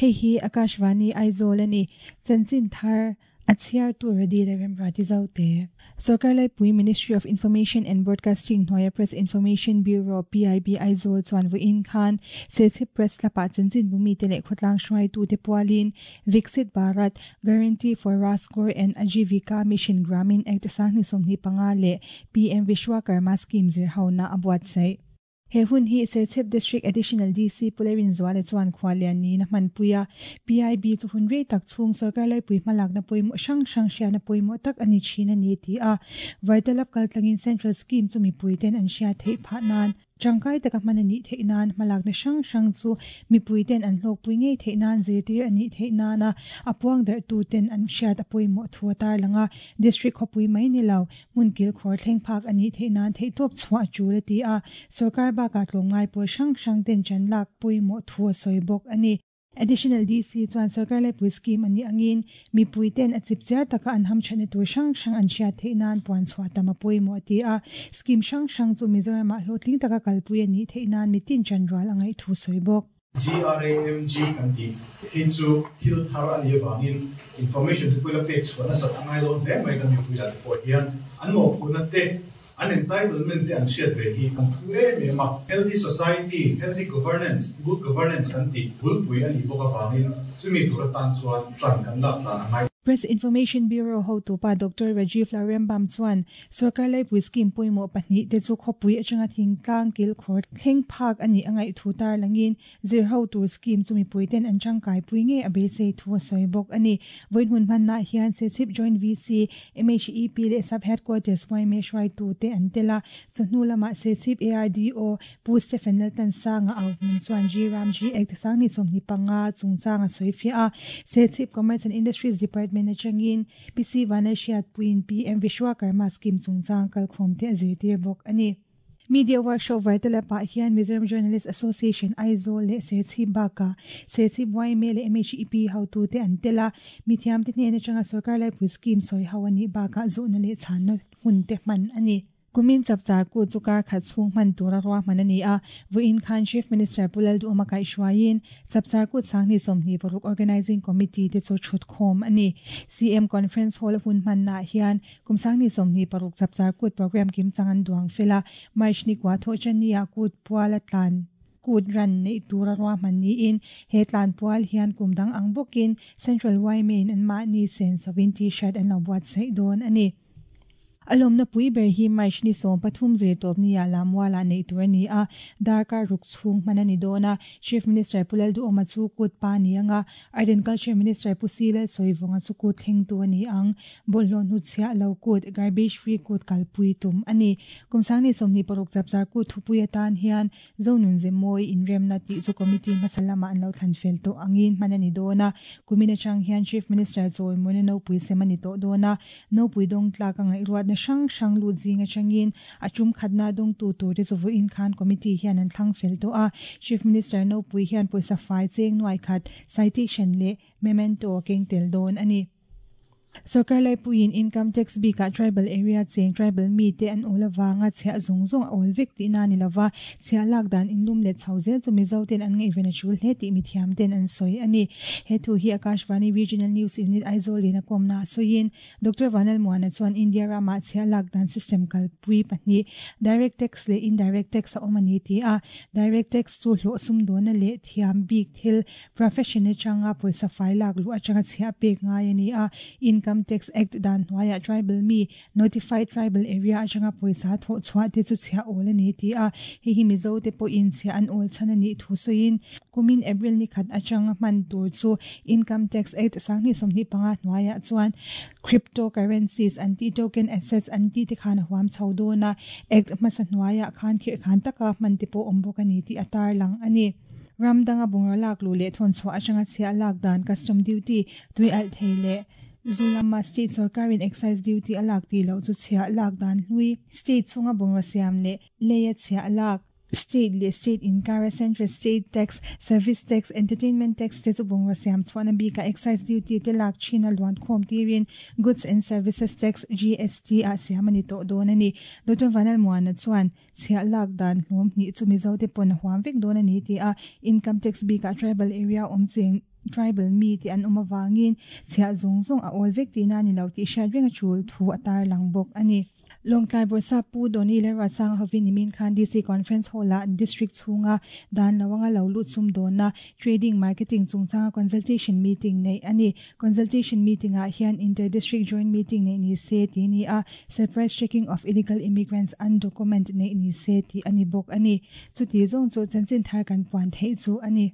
Hei hi Akashvani Aizawl a ni. Chanchin thar a chhiartu Radi leh Remruati Zote. Sorkar Laipui Ministry of Information and Broadcasting hnuaia Press Information Bureau, PIB, Aizawl chuan vawiin khan Serchhip Press Club-ah chanchin bumite leh khawtlang hruaitute pualin Viksit Bharat Guarantee for Rajgor and Ajeevika Mission Gramin Act 2025 leh PM Vishwakarma Scheme zirhona a buatsaih. He hun hi Serchhip District Additional DC Pu Lerinzuala chuan khuallian niin a hmanpui a. PIB chu hun rei tak chhung sorkar laipui hmalakna pawimawh hrang hrang hriatna pawimawh tak a ni thin a ni ti a. Vartalap kaltlangin Central Scheme chu mipuiten an hriat theih phah nan Tangkai taka hman a nih theih nan hmalakna hrang hrang chu mipuiten an hlawkpui ngei theih nan zirtir a nih theih nana a puang darhtuten an hriat a pawimawh thu a tarlang a. District khawpui mai ni lo, hmun kilkhawr thleng phak a nih theih nan theihtawp chhuah a tul a ti a. Sorkar bakah tlawmngai pawl hrang hrang ten ṭan lak pawimawh thu a sawi bawk a ni. Additional DC chuan sorkar laipui scheme a nih angin mipui ten a chip chiar taka an hamthatna tur hrang hrang an hriat theih nan puan chhuah tam a pawimawh a ti a. Scheme hrang hrang chu Mizoramah hlawhtling taka kalpui a nih theih nan mitin chanrual a ngaih thu sawi bawk. GRAMG kan tih hi chu thil thar a nih avangin information te pawh ila pek chhuah nasat a ngai dawn hle mai kan mipui lah te pawh hian an mawhphurhna te An entitlement te an hriat ve hi an phu em em a, healthy society, healthy governance, good governance kan tih bulpui a nih bawk avangin chumi tur atan chuan ṭan kan lak tlan a ngai. Press Information Bureau hotupa Doctor Rajiv Lalrembam chuan sorkar laipui scheme pawimawh pahnih te chu khawpui atanga thingtlang kilkhawr thleng phak a nih a ngaih thu tarlangin Zir ho tur scheme chu mipuiten an tangkaipui ngei a beisei thu a sawi bawk a ni. Vawiin hun hmannaah hian Serchhip Joint VC, MHEP leh Sub Headquarters yma hruaitute an tel a, chawhnu lamah Serchhip ARDO Pu Stephen Laltansanga au hmun chuan G Ram G Act 2025 chungchang a sawi fiah a, Serchhip Commerce and Industries Department atangin PC Vanlalhriatpuiin PM Vishwakarma Scheme chungchang kalkhawmte a zirtir bawk a ni. Media Workshop Vartalap ah hian Mizoram Journalist Association Aizawl leh Serchhip bakah Serchhip yma leh MHEP hotute an tel a, mithiamte hnen atanga sorkar laipui scheme sawi ho a nih bakah zawhna leh chhanna hun te hman a ni. Kumin chapchar kut chu kar khat chhung hman tura ruahman a ni a, vawiin khan Chief Minister Pu Lalduhawma kaihhruaiin Chapchar kut 2026 Organising Committee te chu thutkhawm a ni. CM Conference Hall a hun hmannaah hian Kum 2026 Chapchar Kut program kimchang an duang fel a, March ni kua thawh Chennai-ah kut pual a tlan kut ran neih tura ruahman niin he tlan pual hian kum dang ang bawkin Central YMA-in anmahni sen sovin T-shirt an lo buatsaih dawn a ni. A lawmna pui ber hi March ni 13 zirtawpnia Lammualah neih tur a ni a, darkar ruk chhung hman a ni dawn a, Chief Minister Pu Lalduhawma chu kut pa ni anga Art and Culture Minister Pu Si Lalsawivunga chu kut thlengtu a ni ang. Bawlhhlawh hnutchhiah lo kut, garbage free kut kalpui tum a ni. Kum 2026 chapchar kut thupui atan hian Zonun Zemawi inremna tih chu committee hmasa lamah an lo thlan fel tawh angin hman a ni dawn a. Kumin atang hian Chief Minister chawimawina nopui sem a ni tawh dawn a. Nopui dawng tlak a ngaihruatna hrang hrang lut zing atangin a tum khatna dawngtu turte chu vawiin khan committee hian an thlang fel tawh a. Chief Minister nopui hian pawisa fai cheng nuai khat, citation leh memento a keng tel dawn a ni. Sorkar laipuiin Income Tax bikah Tribal Area cheng Tribal mite an awl avanga chhiah zawng zawng a awl vek tihna a ni lova, chhiah lak dan inlum let chho zel chu Mizo ten an ngaihven a tul hle tih mithiam ten an sawi a ni. He thu hi Akashvani Regional News Unit Aizawl in a kawmna a sawiin Doctor Vanlalmuana chuan India ramah chhiah lak dan system kalpui pahnih Direct Tax leh Indirect Tax a awm a ni ti a, Direct Tax chu hlawh sumdawna leh thiam bik thil Profession atanga pawisa fai lak luh atanga chhiah pek ngai a ni a, Income Tax Act dan hnuaiah tribal mi, Notified Tribal Area atanga pawisa thawh chhuah te chu chhiah awl a ni ti a, hei hi Mizo te pawhin chhiah an awl chhan a nih thu sawiin, kumin April ni khat atanga hman tur chu Income Tax Act 2025 hnuaiah chuan Crypto Currencies an tih token assets an tih te khan a huam chho dawn a, Act hmasa hnuaiah khan khirhkhan taka hman te pawh awm bawk a ni tih a tarlang a ni. Ram danga bungraw lak luh leh thawn chhuah atanga chhiah lak dan custom duty tui alh thei leh zu lama state sorkarin excise duty a lak tih loh chu chhiah lak dan hlui state chhunga bungraw siam leh leia chhiah lak. State leh state inkara Central State Tax, Service Tax, Entertainment Tax te chu bungraw siam chhuahna bikah Excise Duty te lak thin a luan khawm tirin Goods and Services Tax, GST, ah siam a ni tawh dawn a ni. Doctor Vanlalmuana chuan chhiah lak dan hlawm hnih chu Mizo te pawn a huam vek dawn a ni ti a, Income Tax bikah Tribal area awm cheng tribal mi te an awm avangin chhiah zawng zawng a awl vek tihna a ni lo tih hriat reng a tul thu a tarlang bawk a ni. Lawngtlai Bawrhsap Pu Donny Lalruatsanga hovin nimin khan DC Conference Hall-ah District chhunga dan lo anga lo lut sum dawnna, Trading, Marketing chungchanga Consultation Meeting neih a ni. Consultation Meeting-ah hian Inter-District Joint Meeting neih ni se tih a ni a, Surprise Checking of Illegal Immigrants Undocument neih ni se tih a ni bawk a ni. Chuti zawng chu chanchin thar kan puan theih chu a ni.